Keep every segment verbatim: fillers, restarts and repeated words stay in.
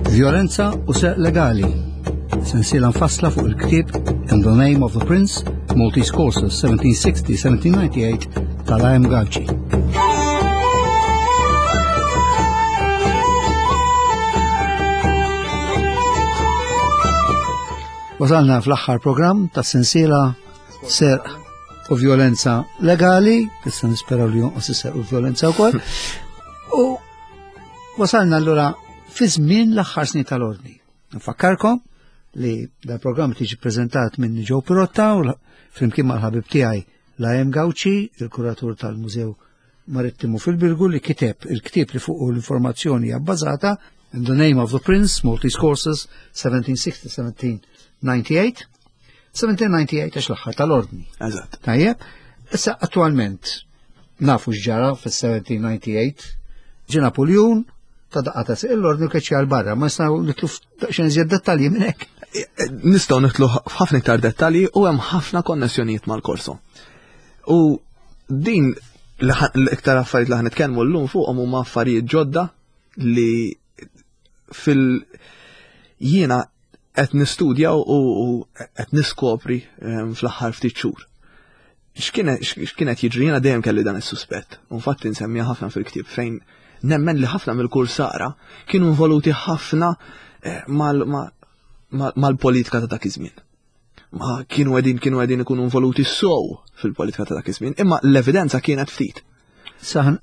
Violenza u Serq Legali. Sensiela mfassla fuq il-ktieb In the Name of the Prince, Maltese Courses seventeen sixty seventeen ninety-eight tal-A M. Gauci. Wasalna fl-aħħar programm ta' sensiela Serq u Violenza Legali, issa nisperaw li jonqos is-serq u violenza wkoll. U wasalna allura fi żmien l-aħħar snin tal-ordni. Nfakkarkom li dal-programm tiġi prezentat minn Joe Pirotta u flimkien mal-ħabib tiegħi L A M. Gauci, il-kuratur tal-Mużew Marittimu fil-Birgu, li kiteb il-ktieb li fuq l-informazzjoni hija bbażata, In the Name of the Prince, Maltese Courses seventeen sixty seventeen ninety-eight. seventeen ninety-eight għax l-aħħar tal-ordni. Eżatt. Tajjeb, issa attualment nafu x'ġara fis-seventeen ninety-eight, ġie Napoleon ta daqqa ta' sieq l-ordni u keċċi għal barra, ma nistgħu nidħlu f'daqsxejn iżjed dettalji minn hekk. Nistgħu nidħlu f'ħafna iktar dettalji u hemm ħafna konnessjonijiet mal-Korso. U din l-iktar affarijiet li ħa nitkellmu llum fuqhom huma affarijiet ġodda li fil jiena qed nistudja u qed niskopri ehm, fl-aħħar ftit xhur. X'kienet jiġri? Jiena dejjem kelli dan is-suspett. Infatti nsemmiha ħafna fil-ktieb, fejn nemmen li ħafna mill-kursara kienu involuti ħafna eh, mal-politika ta' dak iż-żmien. Ma kienu qegħdin kienu qegħdin ikunu involuti sow fil-politika ta' dak iż-żmien, imma l-evidenza kienet ftit. Saħan,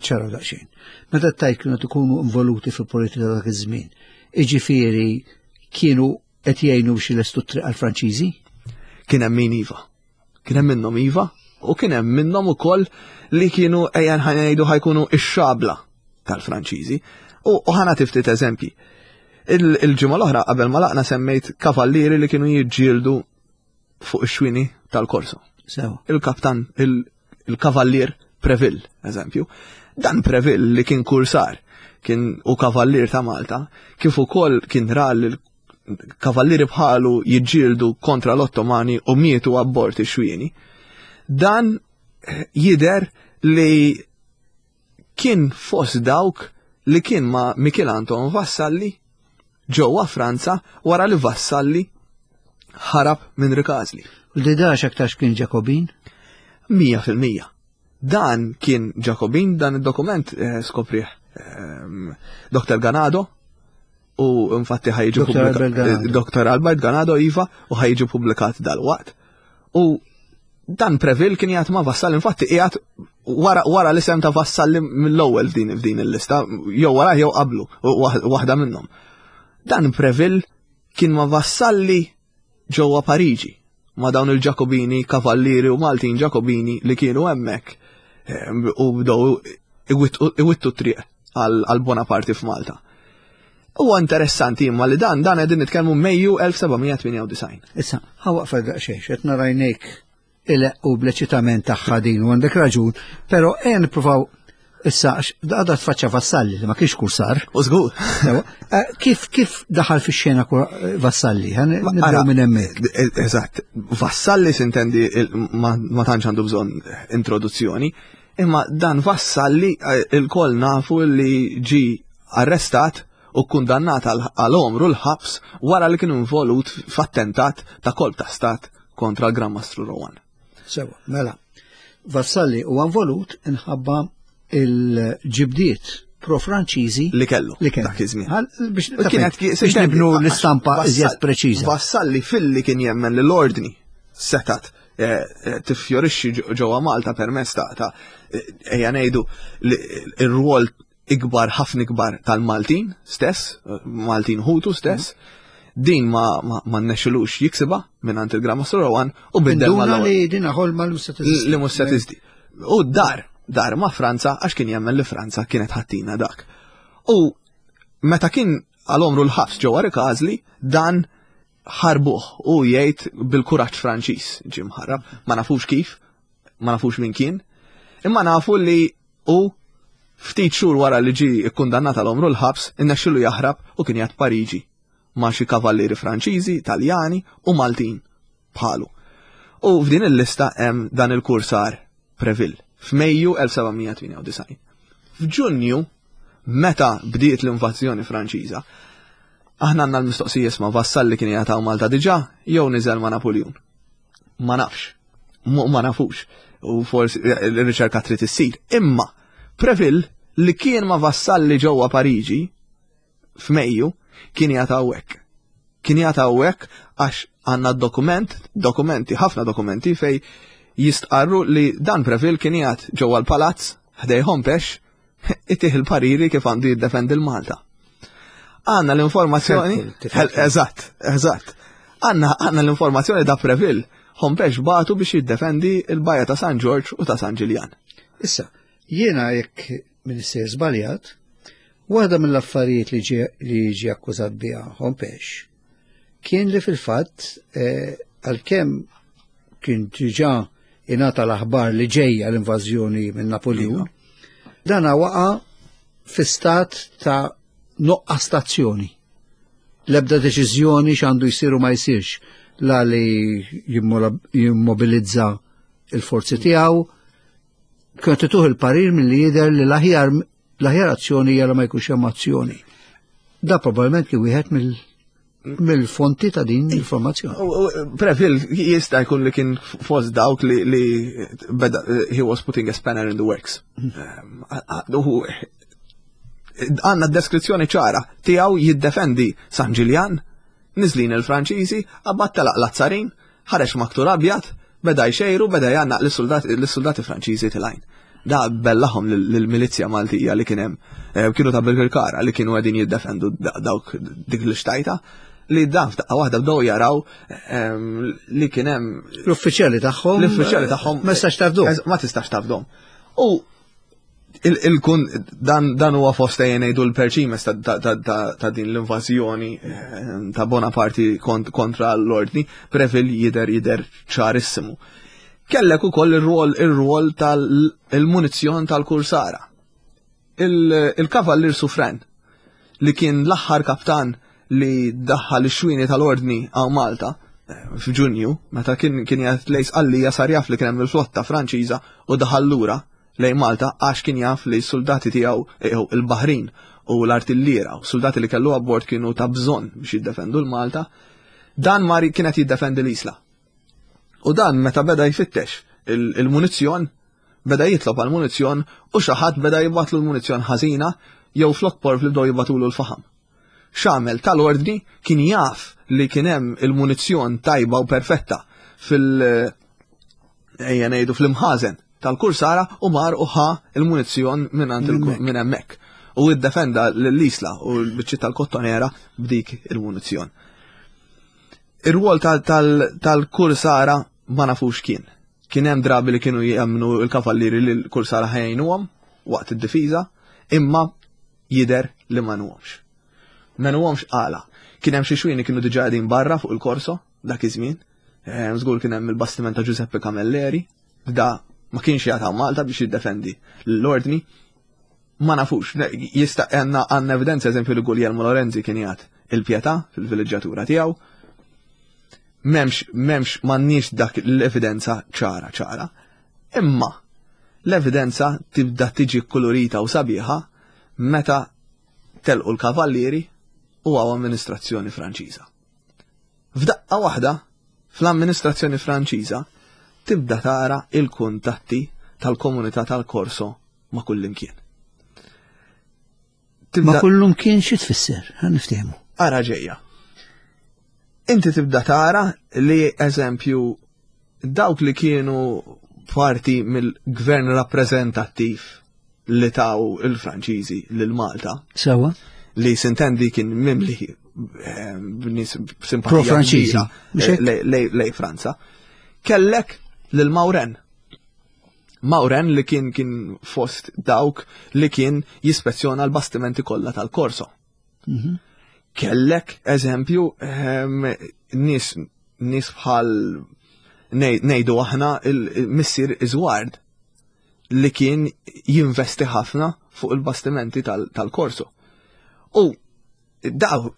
ċara daqsxejn. Meta tajt kienu ikunu involuti fil-politika ta' dak iż-żmien, iġifieri kienu qed jgħinu biex ilestu triq għall-Franċiżi? Kien hemm min iva. Kien hemm minnhom iva u kien hemm minnhom ukoll li kienu, ejja ngħidu, ħa jkunu ix-xabla tal-Franċiżi. U ħa nagħti ftit eżempji. Il-ġimgħa l-oħra qabel ma laqna semmejt kavallieri li kienu jiġġieldu fuq ix-xwini tal-Korso. Il-kaptan, il-kavallier Preville, eżempju. Dan Preville li kien kursar, kien u kavallier ta' Malta, kif ukoll kien ra kavallieri bħalu jiġġieldu kontra l-Ottomani u mietu abbord ix-xwieni. Dan jider li kien fost dawk li kien ma' Mikiel Anton Vassalli ġewwa Franza wara li Vassalli ħarab minn Rikażli. U li dax aktarx kien Ġakobin? Mija fil-mija. Dan kien Ġakobin, dan id-dokument eh, skoprih eh, Doktor Ganado u infatti ħa jiġi Doktor Albert Ganado, iva, u ħa jiġi publikat dal-waqt. U dan Preville kien jgħat ma' Vassalli, infatti qiegħed wara, wara l-isem ta' Vassalli mill-ewwel f'din f'din il-lista, jew wara jew qablu, waħda minnhom. Dan Preville kien ma' Vassalli ġewwa Pariġi, ma' dawn il-Ġakobini, kavallieri u Maltin Ġakobini li kienu hemmhekk eh, u bdew iwittu triq għal Bonaparte f'Malta. Huwa interessanti imma li dan dan qegħdin nitkellmu Mejju elf seba' mija tmienja u disgħin. Issa, ħa waqfa daqsxejn, qed narajnejk il u bl-eċitament tagħha din u għandek raġun, però ejja nippruvaw issa għadha tfaċċa Vassalli li ma kienx kursar. U żgur. Eh, kif kif daħal fix-xena Vassalli? Nibdew minn hemmhekk. Eh, eżatt, Vassalli sintendi ma tantx għandu bżonn introduzzjoni, imma dan Vassalli eh, il-koll nafu li ġi arrestat u kundannat għal għomru l-ħabs wara li kien involut f'attentat ta' kolp ta' stat kontra l-Gran Mastru Rohan. Sewa, mela, Vassalli huwa involut inħabba il-ġibdiet pro-Franċiżi li kellu li kellu dak iż-żmien. Biex biex nibnu l-istampa iżjed preċiża. Vassalli filli kien jemmen li l-ordni setat eh, eh, tiffjorixxi ġewwa Malta permezz ta' ta' eh, ejja ngħidu ir-rwol ikbar, ħafna ikbar tal-Maltin stess, Maltin ħutu stess, din ma ma, ma nnexxilux jiksiba minn il-Gran Mastru Rohan u biddel mal li din ħolma li li mhux se tiżdi. U dar, dar ma' Franza għax kien jemmen li Franza kienet ħa ttina dak. U meta kien għal għomru l-ħabs ġewwa Rikażli, dan ħarbuh u jgħid bil-kuraġġ Franċiż ġie mħarrab, ma nafux kif, ma nafux min kien, imma nafu li u ftit xhur wara li ġi ikkundannat għal għomru l-ħabs, innexxilu jaħrab u kien jgħid Pariġi ma' xi kavallieri Franċiżi, Taljani u Maltin bħalu. U f'din il-lista hemm dan il-kursar Preville f'Mejju elf seba' mija tmienja u disgħin. F'Ġunju, meta bdiet l-invażjoni Franċiża, Aħna għandna l-mistoqsija isma' Vassalli kien jagħtaw Malta diġà jew niżel ma' Napoleon. Ma nafx. Ma nafux. U forsi l-riċerka trid issir. Imma Preville li kien ma' Vassalli ġewwa Pariġi f'Mejju kien jagħtaw hekk. Kien jagħtaw hekk għax għandna dokument, dokumenti, ħafna dokumenti fej jistqarru li dan Preville kien jgħat ġewwa l-palazz ħdej Hompesch itih il-pariri kif għandu jiddefendi l-Malta. Għanna l-informazzjoni, eżatt, eżatt. Għanna għanna l-informazzjoni da Preville, Hompesch batu biex jiddefendi il-bajja ta' San Ġorġ u ta' San Ġiljan. Issa, jiena jekk minister żbaljat, waħda mill-affarijiet li ġie li ġie akkużat biha Hompesch kien li fil-fatt eh, għalkemm kien diġà ingħata l-aħbar li ġejja l-invażjoni minn Napoleon, dana waqa' fi stat ta' nuqqas tazzjoni. L-ebda deċiżjoni x'għandu jsir u ma jsirx, la li jimmobilizza il-forzi tiegħu, kien tituh il-parir milli jidher li l-aħjar l-aħjar azzjoni hija li ma jkunx hemm azzjoni. Da probabbilment kien wieħed mill mill-fonti ta' din l-informazzjoni. Preville jista' jkun li kien fost dawk li li beda he was putting a spanner in the works. Għanna deskrizzjoni ċara tiegħu jiddefendi San Ġiljan, niżlin il-Franċiżi, abbat telaq l-Azzarin, ħareġ maktur abjad, beda jxejru, beda jgħannaq lis-soldati Franċiżi tilgħin. Da bellahom lill-milizja Maltija li kien hemm, kienu ta' Birkirkara li kienu qegħdin jiddefendu dawk dik l-xtajta, li dan f'daqqa waħda bdew jaraw li kien hemm l-uffiċjali tagħhom. L-uffiċjali tagħhom ma tistax tafdhom. Ma tistax tafdhom. U il-kun dan dan huwa fost ngħidu l-perċimes ta' din l-invażjoni ta' Bonaparte kontra l-ordni, Preville jidher jidher ċarissimu. Kellek ukoll ir-rwol ir-rwol tal-munizzjon tal-kursara. Il-kavallir Suffren li kien l-aħħar kaptan li daħħal ix-xwini tal-ordni għaw Malta f'Ġunju, meta kien kien jgħid lejn Sqallija sar jaf li kien hemm il-flotta Franċiża u daħal lura lejn Malta għax kien jaf li s-soldati tiegħu il-Baħrin u l-artilliera u soldati li kellu abbord kienu ta' bżonn biex jiddefendu l-Malta. Dan mari kienet jiddefendi l-Isla. U dan meta beda jfittex il-munizzjon, beda jitlob għal munizzjon u xi ħadd beda jibgħatlu l-munizzjon ħażina jew flok porv li bdew jibgħatulu l-faħam. X'għamel tal-ordni kien jaf li kien hemm il-munizzjon tajba u perfetta fil- ejja ngħidu fl-imħażen tal-kursara u mar u ħa il-munizzjon minn hemmhekk. U iddefenda l-Isla u l-biċċi tal-Kottonera b'dik il-munizzjon. Ir-rwol tal-kursara ma nafux kien. Kien hemm drabi li kienu jemmnu l-kavallieri li l-kursara ħajnuhom waqt id-difiża, imma jidher li ma nuhomx. Ma nuhomx għala. Kien hemm xi xwini kienu diġà qegħdin barra fuq il-korso dak iż-żmien. Żgur kien hemm il-bastiment ta' Giuseppe Camilleri, da ma kienx jagħtaw Malta biex jiddefendi l-ordni. Ma nafux, jista' għandna għandna evidenza eżempju li Guglielmo Lorenzi kien jgħat il-Pietà fil-villeġġatura tiegħu. M'hemmx, m'hemmx, m'għandniex dak l-evidenza ċara ċara. Imma l-evidenza tibda tiġi kolorita u sabiħa meta telqu l-kavallieri u għaw amministrazzjoni Franċiża. F'daqqa waħda, fl-amministrazzjoni Franċiża, tibda tara il-kuntatti tal-komunità tal-Korso ma' kullimkien. Ma kullimkien xi tfisser, ħa niftehmu. Ara ġejja. Inti tibda tara li eżempju dawk li kienu parti mill-gvern rappreżentattiv li taw il-Franċiżi lil Malta. Sewa. Li sintendi kien mimli b'nies simpatija Pro-Franċiżi. lej Franza. Kellek lil Maurin. Maurin li kien kien fost dawk li kien jispezzjona l-bastimenti kollha tal-Korso. Kellek eżempju nies nies bħal ngħidu aħna il-missier Iżward li kien jinvesti ħafna fuq il-bastimenti tal-Korso. U daw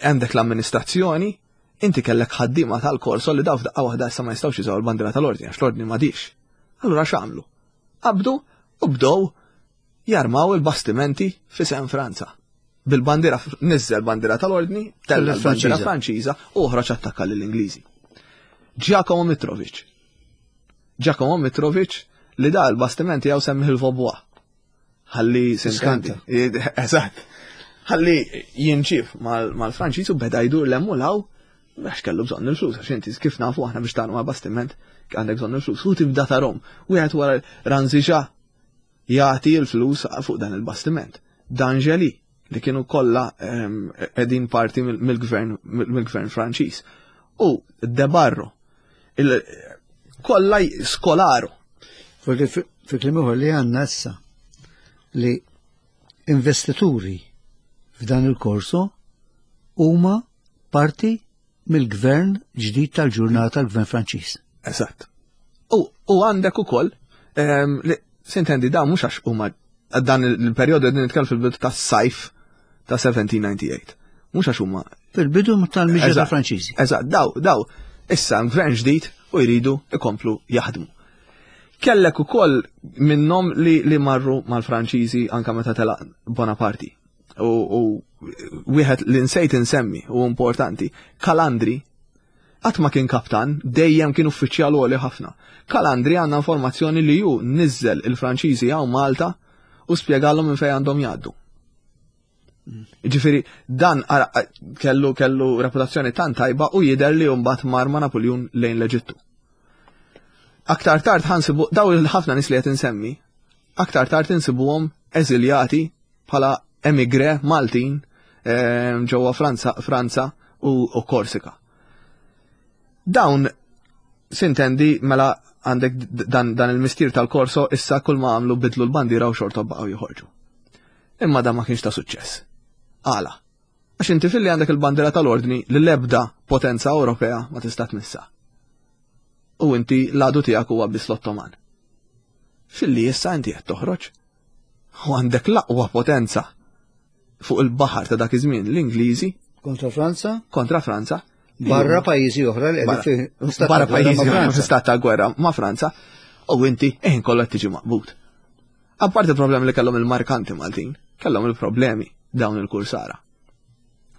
għandek l-amministrazzjoni, inti kellek ħaddiema tal-Korso li daw f'daqqa waħda issa ma jistgħux jużaw il-bandiera tal-ordni għax l-ordni m'għadix. Allura x'għamlu? Qabdu u bdew jarmaw il-bastimenti fi San Franza. Bil-bandiera, niżel bandiera tal-ordni, tella l-bandiera Franċiża u oħroġ attakka lill-Ingliżi. Giacomo Mitrovic. Giacomo Mitrovic li da l-bastiment tiegħu semmih il-Vaubois. Ħalli sinkanti. Eżatt. Ħalli jinġib mal-Franċiż u beda jdur l-hemm u law għax kellu bżonn il-flus, għax inti kif nafu aħna biex tagħmlu ma' bastiment għandek bżonn il-flus. U tibda tarom. Wieħed wara Ranziġa jagħti l-flus fuq dan il-bastiment. D'Angeli li kienu kollha qegħdin parti mill-gvern mill-gvern Franċiż. U De Barro kollha skolaru. Fi kliem ieħor li għandna issa li investituri f'dan il-korso huma parti mill-gvern ġdid tal-ġurnata tal-gvern Franċiż. Eżatt. U għandek ukoll li sintendi da mhux għax huma dan il-perjodu qegħdin nitkellem fil-bidu tas-sajf ta' seventeen ninety-eight. Mhux għax huma fil-bidu tal-miġja tal-Franċiżi. Eżatt, daw, daw, issa gvern ġdid u jridu ikomplu jaħdmu. Kellek ukoll minnhom li, li marru mal-Franċiżi anka meta telaq Bonaparte. U, u wieħed li nsejt insemmi u importanti, Calandri qatt ma kien kaptan, dejjem kien uffiċjal għoli ħafna. Calandri għandna informazzjoni li ju niżel il-Franċiżi hawn Malta u spjegalhom minn fejn għandhom jgħaddu. Ġifieri dan ara, kellu, kellu reputazzjoni tant tajba u jidher li mbagħad mar ma' Napoleon lejn l-Eġittu. Aktar tard ħansibu daw il-ħafna nies li qed insemmi, aktar tard insibuhom eżiljati bħala emigre Maltin, ehm, ġewwa Franza, Franza u, u Korsika. Dawn sintendi mela għandek dan, dan il-mistier tal-korso issa kull ma għamlu bidlu l-bandiera u xorta baqgħu joħorġu. Imma dan ma kienx ta' suċċess. Għala? Għax inti filli għandek il-bandiera tal-ordni li l-ebda potenza Ewropea ma tista' tmissa. U inti l-għadu tiegħek huwa biss l-Ottoman. Filli issa inti qed toħroġ u għandek l-aqwa potenza fuq il-baħar ta' dak iż-żmien, l-Ingliżi. Kontra Franza? Kontra Franza. Barra pajjiżi oħra li Barra qegħdin fi stat barra ta' gwerra pajjiżi ma' oħra Franza. fi stat ta' gwerra ma' Franza, u inti eħin kollha tiġi maqbud. Apparti il-problemi li kellhom il-markanti Maltin, kellhom il-problemi dawn il-kursara.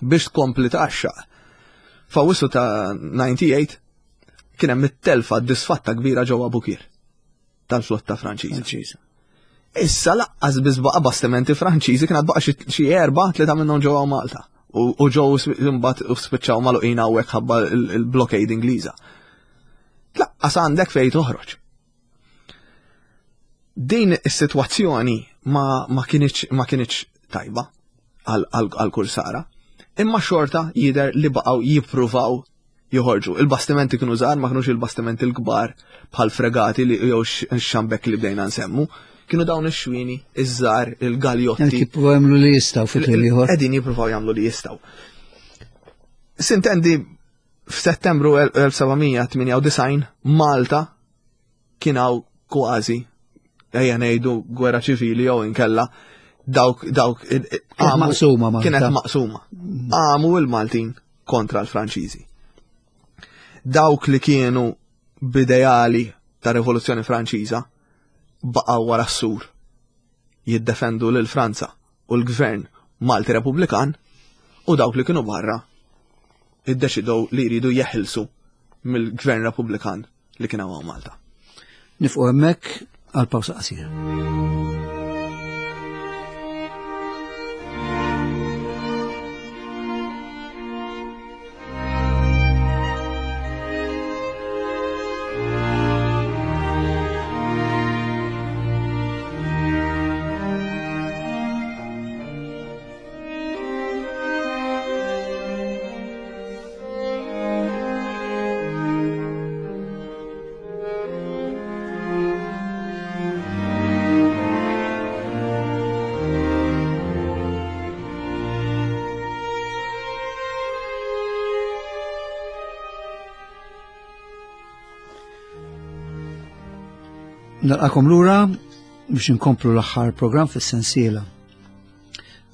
Biex tkompli taxxa. F'Awwissu ta' ninety-eight kien hemm it-telfa disfatta kbira ġewwa Bukir tal-flotta Franċiża. Franċiża. Issa laqqas biss baqa' bastimenti Franċiżi, kien baqa' xi, xi erba', tlieta minnhom ġewwa Malta. U, u ġew sp-, imbagħad u spiċċaw magħluqin hawnhekk ħabba il-, il-blockade Ingliża. Laqqas għandek fejn toħroġ. Din is-sitwazzjoni ma, ma kinitx, ma kinitx tajba għal, għal, għal kursara, imma xorta jidher li baqgħu jippruvaw joħorġu. Il-bastimenti kienu żgħar, ma kinux il-bastimenti l-kbar bħal fregati li jew x-, x-xambek li bdejna nsemmu. Kienu dawn ix-xwini, iż-żgħar, il-galjotti. Qed jippruvaw jagħmlu li jistgħu fi kliem ieħor. Qegħdin jippruvaw jagħmlu li jistgħu. Sintendi f'Settembru elf seba' mija tmienja u disgħin Malta kien hawn kważi ejja ngħidu gwerra ċivili jew inkella dawk, dawk, Kienet għamu maqsuma Malta. Kienet maqsuma. Għamu il-Maltin kontra l-Franċiżi. Dawk li kienu b'ideali ta' Rivoluzzjoni Franċiża baqgħu wara s-sur jiddefendu lil Franza u l-gvern Malti Repubblikan, u dawk li kienu barra iddeċidew li jridu jeħilsu mill-gvern Repubblikan li kien hawn Malta. Nifqu hemmhekk għal pawsa qasira. Nilqakom lura biex inkomplu l-aħħar programm fis-sensiela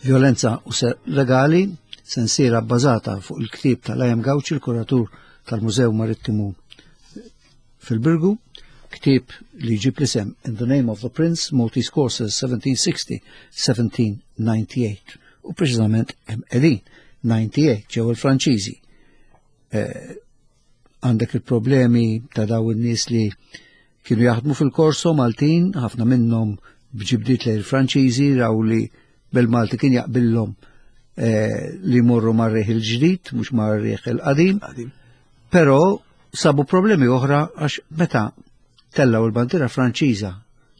Violenza u Serq Legali, sensiela bbażata fuq il-ktieb tal-A M Gauci, il-kuratur tal-Mużew Marittimu fil-Birgu, ktieb li jġib l-isem In the Name of the Prince, Maltese Corsairs seventeen sixty seventeen ninety-eight. U preċiżament hemm qegħdin disgħa u disgħin ġew il-Franċiżi. Eh, għandek il-problemi ta' daw in-nies li kienu jaħdmu fil-Korso Maltin, ħafna minnhom b'ġibdiet lejn il-Franċiżi, raw li bil-Malti kien jaqbillhom eh, li morru mar-riħ il-ġdid, mhux mar-riħ il-qadim. Qadim. Però sabu problemi oħra għax meta tellaw il-bandiera Franċiża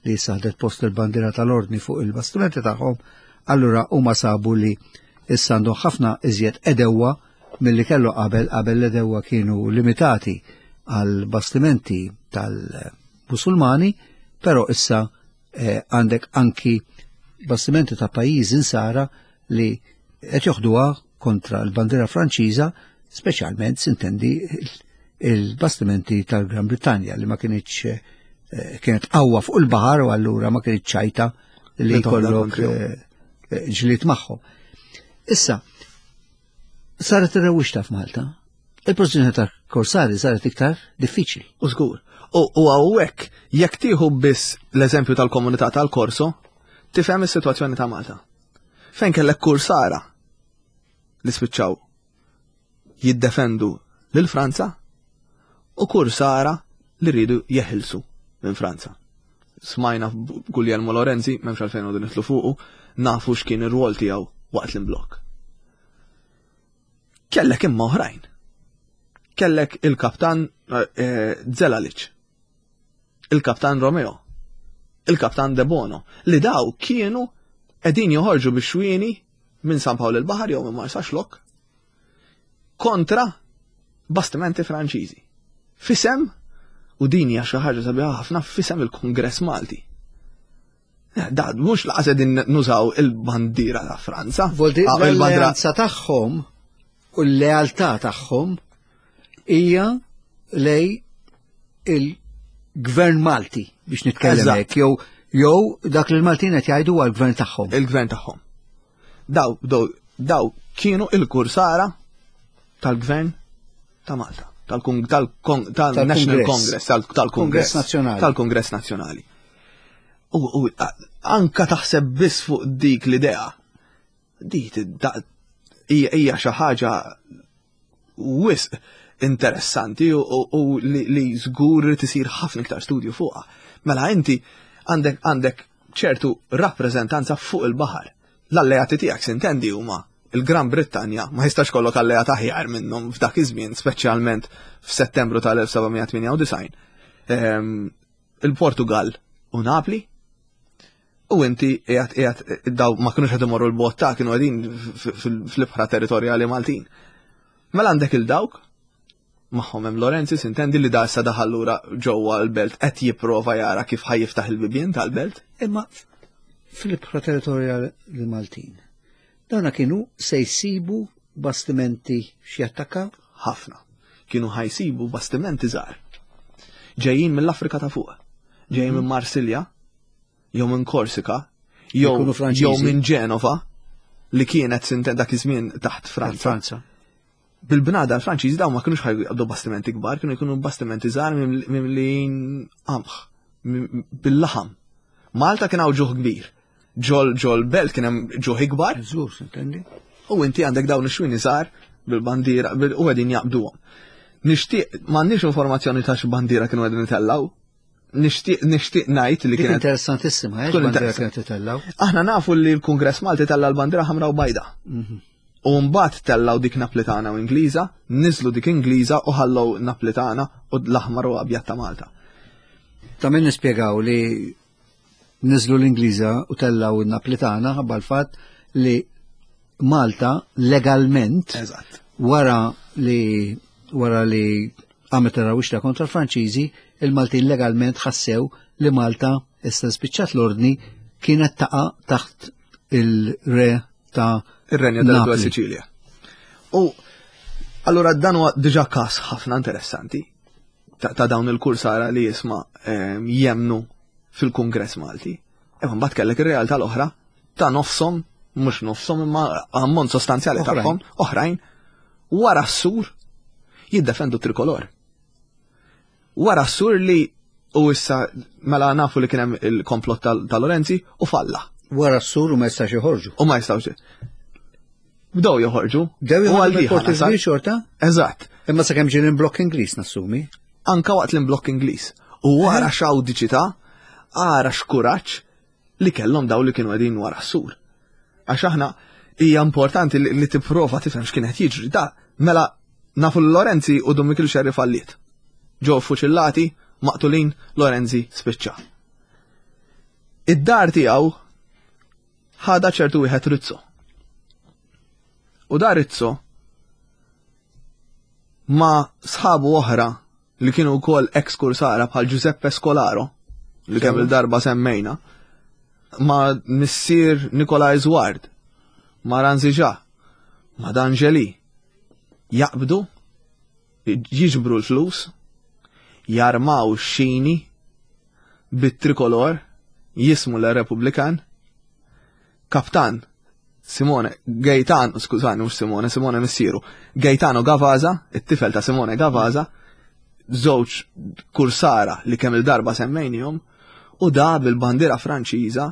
li issa ħadet post il-bandiera tal-ordni fuq il-bastimenti tagħhom, allura huma sabu li issa għandhom ħafna iżjed għedewwa milli kellu qabel. Qabel l-għedewwa kienu limitati għal bastimenti tal-Musulmani, però issa eh, għandek anki bastimenti ta' pajjiżi insara li qed joħduha kontra l-bandiera Franċiża, speċjalment sintendi il-bastimenti tal-Gran Brittanja li ma kinitx eh, kienet qawwa fuq il-baħar u allura ma kinitx ċajta li Li toħodha jkollok kontrihom. eh, eh, ġlied magħhom. Issa, saret ir-rewwixta f'Malta. Il-pożizzjoni ta' Korsari saret iktar diffiċli. U żgur. U u hawnhekk jekk tieħu biss l-eżempju tal-komunità tal-Korso, tifhem is-sitwazzjoni ta' Malta. Fejn kellek kursara li spiċċaw jiddefendu lil Franza u kursara li rridu jeħilsu minn Franza. Smajna Guglielmo Lorenzi, m'hemmx għalfejn noqogħdu nidħlu fuqu, nafu x'kien ir-rwol tiegħu waqt l-imblokk. Kellek imma oħrajn. Kellek il-kaptan eh, Zelalic, il-kaptan Romeo, il-kaptan De Bono, li daw kienu qegħdin joħorġu bix-xwieni minn San Pawl il-Baħar jew minn Marsaxlokk kontra bastimenti Franċiżi. F'isem, u din hija xi ħaġa sabiħa ħafna, f'isem il-Kongress Malti. Eh, Da, mhux lanqas qegħdin nużaw il-bandiera ta' Franza. Voldi Ah, il-bandiera l-alleanza tagħhom u l-lealtà tagħhom hija lej il-gvern Malti biex nitkellem Eżatt. hekk jew jew dak li l-Maltin qed jgħidu għal gvern tagħhom. Il-gvern tagħhom. Daw, daw, daw kienu il-kursara tal-gvern ta' Malta, tal-National Tal-Kongress. Congress, tal- tal-Kongress Kongress Nazzjonali. Tal-Kongress Nazzjonali. U, u a- anka taħseb biss fuq dik l-idea. Dik da- hija hija xi ħaġa wisq interessanti u, u, u li, li żgur tisir ħafna iktar studju fuqha. Mela inti għandek għandek ċertu rappreżentanza fuq il-baħar. L-alleati tiegħek sintendi huma il-Gran Brittanja, ma jistax ikollok alleat aħjar minnhom f'dak iż-żmien, speċjalment f'Settembru tal-elf seba' mija tmienja u disgħin. Ehm, il-Portugal u Napli. U inti qiegħed qiegħed daw ma kinux qed imorru l-bogħod ta' kienu qegħdin fl-ibħra territorjali Maltin. Mela għandek il-dawk magħhom hemm Lorenzi, sintendi, li da issa daħal lura ġewwa l-belt, qed jipprova jara kif ħa jiftaħ il-bibien tal-belt. Imma fil-ibħra territorjali Maltin, dawna kienu se jsibu bastimenti x'jattakkaw? Ħafna. Kienu ħa jsibu bastimenti żgħar. Ġejjin mill-Afrika ta' fuq. Ġejjin minn Marsilja, jew minn Korsika, jew Ikunu Franċiżi. jew minn Ġenova, li kienet sinte dak iż-żmien taħt Franza. Franza. Bil-bnadar Franċiżi dawn ma kinux ħa jaqbdu bastimenti kbar, kienu jkunu bastimenti żgħar mimlijin qamħ, bil-laħam. Malta kien hawn ġuħ kbir. Ġol ġol belt kien hemm ġuħ ikbar. Żgur, intendi? U inti għandek dawn ix-xwini żgħar bil-bandiera bil- u qegħdin jaqbduhom. Nixtieq, m'għandniex informazzjoni ta' x'bandiera kienu qegħdin itellaw. Nixtieq nixtieq ngħid li Dik kienet interessantissima, eh, Tkun bandiera interessant. kienet itellaw. Aħna nafu li l-Kungress Malti tella l-bandiera ħamra u bajda. U mbagħad tellaw dik Naplitana u Ingliża, niżlu dik Ingliża u ħallew Naplitana u l-aħmar u abjad ta' Malta. Ta' min nispjegaw li niżlu l-Ingliża u tellaw il-Naplitana ħabba l-fatt li Malta legalment Eżatt. wara li wara li għamet rewwixta kontra l-Franċiżi, il-Maltin legalment ħassew li Malta issa spiċċat l-ordni kienet taqa taħt il-re ta' Ir-Renju della Napli. Sicilia. U allura dan huwa diġà każ ħafna interessanti ta', ta' dawn il-kursara li jisma' ehm, jemnu fil-Kungress Malti. Imma mbagħad kellek ir-realtà l-oħra ta' nofshom, mhux nofshom imma ammont sostanzjali Oħrajn. tagħhom oħrajn wara s-sur jiddefendu trikolor. Wara s-sur li u issa mela nafu li kien hemm il-komplott tal- ta' Lorenzi u falla. Wara s-sur u ma jistax joħorġu. U ma jistawx. Bdew joħorġu. Bdew joħorġu mill-Port il-Kbir xorta? Eżatt. Imma sakemm ġie l-imblokk Ingliż nassumi. Anka waqt l-imblokk Ingliż. U wara x'awdiċità, ara x'kuraġġ li kellhom daw li kienu qegħdin wara s-sur. Għax aħna hija importanti li, li tipprova tifhem x'kien qed jiġri. Da, mela nafu Lorenzi u Dun Mikiel Xerri falliet. Ġew fuċillati, maqtulin, Lorenzi spiċċa. Id-dar tiegħu ħada ċertu wieħed Rizzo. U da Rizzo ma sħabu oħra li kienu wkoll ex-kursara bħal Giuseppe Scolaro, li kemm il-darba semmejna, ma missier Nikolaj Zward, ma Ranziġa, ma D'Angeli, jaqbdu, jiġbru l-flus, jarmaw xini bit-trikolor, jismu l-Republikan, kaptan Simone Gaetano, skużani, mhux Simone, Simone missieru, Gaetano Gavaza, it-tifel ta' Simone Gavaza, żewġ kursara li kemm il-darba semmejnihom, u da bil-bandiera Franċiża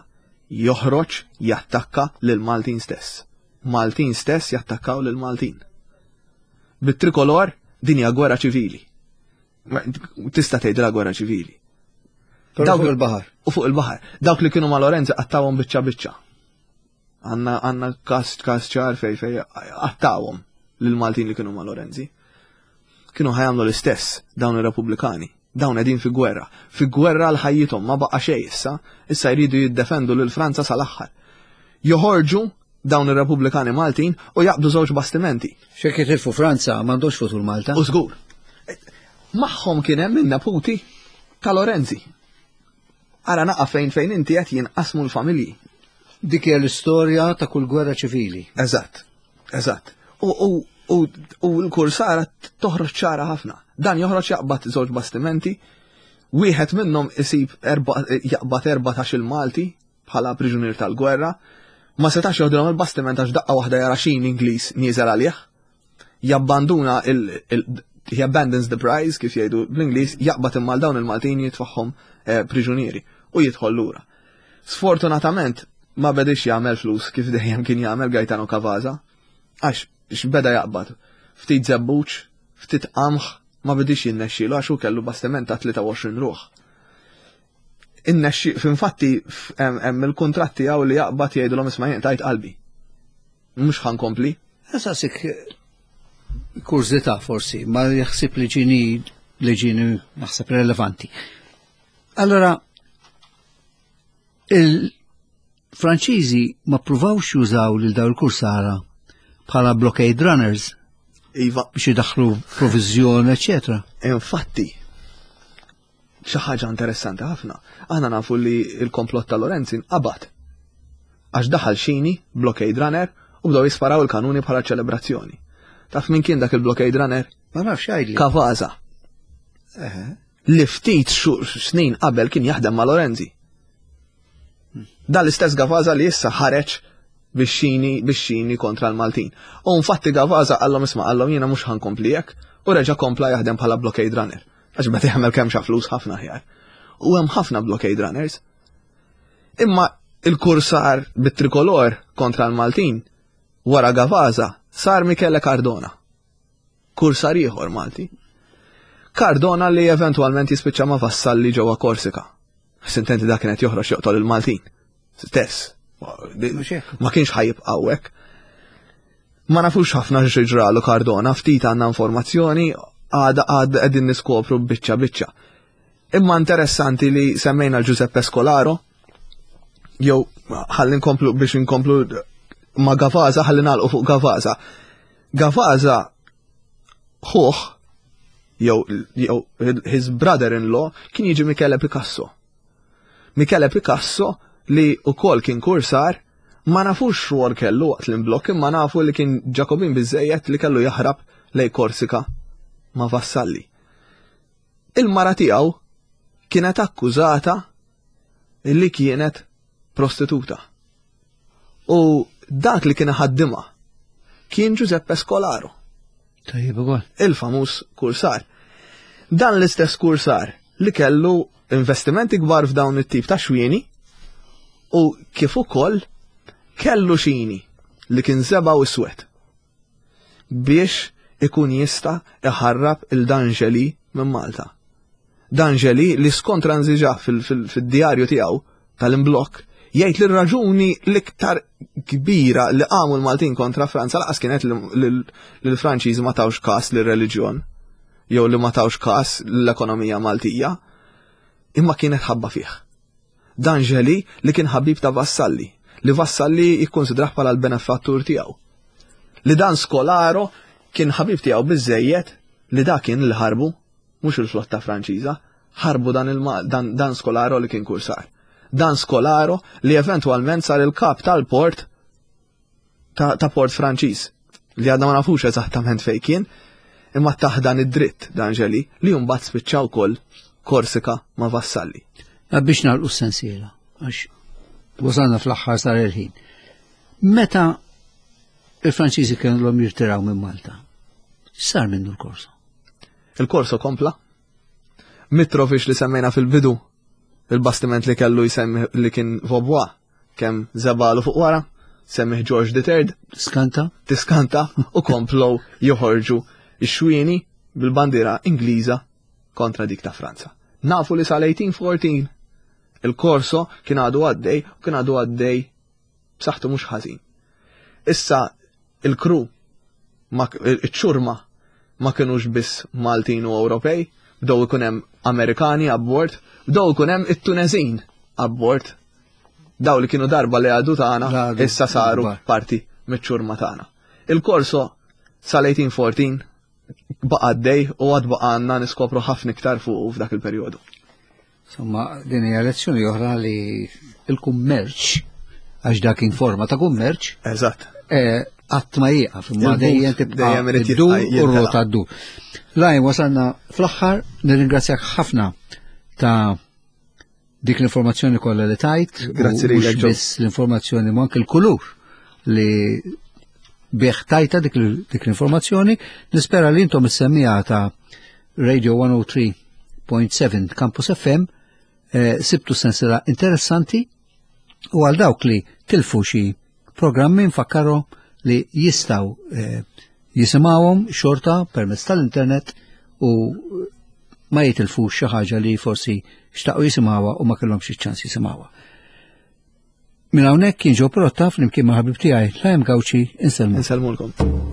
joħroġ jattakka lil Maltin stess. Maltin stess jattakkaw lil Maltin. Bit-trikolor din hija gwerra ċivili. Tista' tgħidilha gwerra ċivili. Però fuq il-baħar. U fuq il-baħar. Dawk li kienu ma' Lorenzi qattawhom biċċa biċċa. Għanna għanna kas kas ċar fej fej qattawhom lil Maltin li kienu ma' Lorenzi. Kienu ħa jagħmlu l-istess dawn ir-Repubblikani. Dawn qegħdin fi gwerra. Fi gwerra l ħajjithom ma baqa' xejn issa, issa jridu jiddefendu lil Franza sal-aħħar. Joħorġu dawn ir-Repubblikani Maltin u jaqbdu żewġ bastimenti. Xek jitilfu Franza m'għandux futur Malta. U żgur. Magħhom kien hemm in-neputi ta' Lorenzi. Ara naqa' fejn fejn inti qed jinqasmu l-familji. Dik hija l-istorja ta' kull gwerra ċivili. Eżatt, eżatt. U, u, u, u l-kursara toħroġ ċara ħafna. Dan joħroġ jaqbad żewġ bastimenti, wieħed minnhom isib erba, jaqbad erbatax il-Malti bħala priġunier tal-gwerra, ma setax joħdilhom il-bastiment għax daqqa waħda jara xin Ingliż nieżel għalih. Jabbanduna il, il he abandons the prize, kif jgħidu bl-Ingliż, jaqbad imma dawn il-Maltin jitfaħħom eh, priġunieri u jidħol lura. Sfortunatament ma bedix jagħmel flus kif dejjem kien jagħmel Gaetano Cavaza, għax x'beda jaqbad. Ftit żebbuġ, ftit qamħ, ma bedix jinnexxielu għax hu kellu bastiment ta' tlieta u għoxrin ruħ. Innexxi, f'infatti hemm il-kuntratti tiegħu li jaqbad jgħidulhom isma' jien tajt qalbi. Mhux ħa nkompli. Saqsik kurżità forsi, ma jaħsib li ġini li ġini naħseb relevanti. Allora, il-Franċiżi ma pruvawx jużaw lil daw il-kursara bħala blockade runners Iva, biex jidaħlu provizjon, eccetera. Infatti, xi ħaġa interessanti ħafna. Aħna nafu li il-komplott ta' Lorenzi nqabad. Għax daħal xini, blockade runner, u bdew jisparaw il-kanuni bħala ċelebrazzjoni. Taf min kien dak il-blockade runner? Ma nafx, għidli. Cavaza. Li ftit snin qabel kien jaħdem ma' Lorenzi. Dan l-istess Gavaza li issa ħareġ bix-xini bix-xini kontra l-Maltin. U infatti Gavaza qallhom isma', qallhom jiena mhux ħa nkompli hekk u reġa' kompla jaħdem bħala blockade runner. Għax beda jagħmel kemm xa flus ħafna ħjar. U hemm ħafna blockade runners. Imma il-kursar bit-trikolor kontra l-Maltin wara Gavaza sar Michele Cardona. Kursar ieħor Malti. Cardona li eventualment jispiċċa ma' Vassalli ġewwa Korsika. Sintenti dak kienet joħroġ joqtol il-Maltin. Stess. Ma kienx ħa jibqa' hawnhekk. Ma nafux ħafna x'ġralu Cardona, ftit għandna informazzjoni, għada għad qegħdin niskopru biċċa biċċa. Imma interessanti li semmejna l-Giuseppe Scolaro, jew ħalli nkomplu biex nkomplu ma' Gavaza, ħalli nagħlqu fuq Gavaza. Gavaza ħuħ, jew jew his brother-in-law kien jiġi Michele Picasso. Michele Picasso li ukoll kien kursar, ma nafux x'rwol kellu waqt l-imblokk, imma nafu li kien Ġakobin biżejjed li kellu jaħrab lej Korsika ma' Vassalli. Il-mara tiegħu kienet akkużata li kienet prostituta. U dak li kien ħaddima kien Giuseppe Scolaro. Tajjeb ukoll. Il-famuż kursar. Dan l-istess kursar li kellu investimenti kbar f'dawn it-tip ta' xwieni u kif ukoll kellu xini li kien żebgħa u iswed. biex ikun jista' iħarrab lil D'Angeli minn Malta. D'Angeli li skont Ranziġa fil-djarju tiegħu tal-imblok jgħid li r-raġuni l-iktar kbira li qamu l-Maltin kontra Franza lanqas kienet li l-Franċiżi ma tawx kas lir-reliġjon jew li ma tawx kas l-ekonomija Maltija, imma kienet ħabba fih. D'Angeli li kien ħabib ta' Vassalli, li Vassalli jikkonsidrah bħala l-benefattur tiegħu. Li dan Scolaro kien ħabib tiegħu biżejjed li da kien li ħarbu, mhux il-flotta Franċiża, ħarbu dan, dan, dan Scolaro li kien kursar. Dan Scolaro li eventwalment sar il-kap tal-port ta', ta port Franċiż li għadna ma nafux eżattament fejn kien, imma tah dan id-dritt D'Angeli li mbagħad spiċċaw ukoll Korsika ma' Vassalli. Biex nagħlqu s-sensiela, għax wasalna fl-aħħar sar il-ħin. Meta il-Franċiżi kellhom jirtiraw minn Malta, sar minnu l-Korso? Il-Korso kompla. Mitrovic li semmejna fil-bidu, il-bastiment li kellu jsemmi li kien Vaubois, kemm żebagħlu fuq wara, semmih George the Third. Tiskanta? Tiskanta u komplow joħorġu ix-xwieni bil-bandiera Ingliża kontra dik ta' Franza. Nafu li sal-eighteen fourteen il-Korso kien għadu għaddej u kien għadu għaddej b'saħħtu mhux ħażin. Issa il-kru, iċ-ċurma ma kienux biss Maltin u Ewropej, bdew ikun hemm Amerikani abbord, bdew ikun hemm it-Tunezin abbord. Daw li kienu darba li għadu tagħna, issa saru parti miċ-ċurma tagħna. Il-Korso sal-eighteen fourteen baqa' għaddej u għad baqa' għandna niskopru ħafna iktar fuq f'dak il-perjodu. Insomma, din hija lezzjoni oħra li il-kummerċ, għax dak kien forma ta' kummerċ. Eżatt. Qatt ma jieqaf, imma dejjem tibqa' ddur u rota ddur. Lajn, wasalna fl-aħħar, nirringrazzjak ħafna ta' dik l-informazzjoni kollha li tajt. Grazzi lilek. Biss l-informazzjoni ma anke l-kulur li bih tajta dik l-informazzjoni. Nispera li intom is-semmiegħa ta' Radio one oh three point seven Campus F M eh, sibtu sensila interessanti u għal dawk li tilfu xi programmi nfakkaru li jistgħu eh, jisimgħuhom xorta permezz tal-internet u ma jitilfux xi ħaġa li forsi xtaqu jisimgħuha u ma kellhomx iċ-ċans jisimgħuha. Minn hawnhekk kien Joe Pirotta flimkien ma' ħabib tiegħi Lajm Gauci, insellmu. Insellmulkom.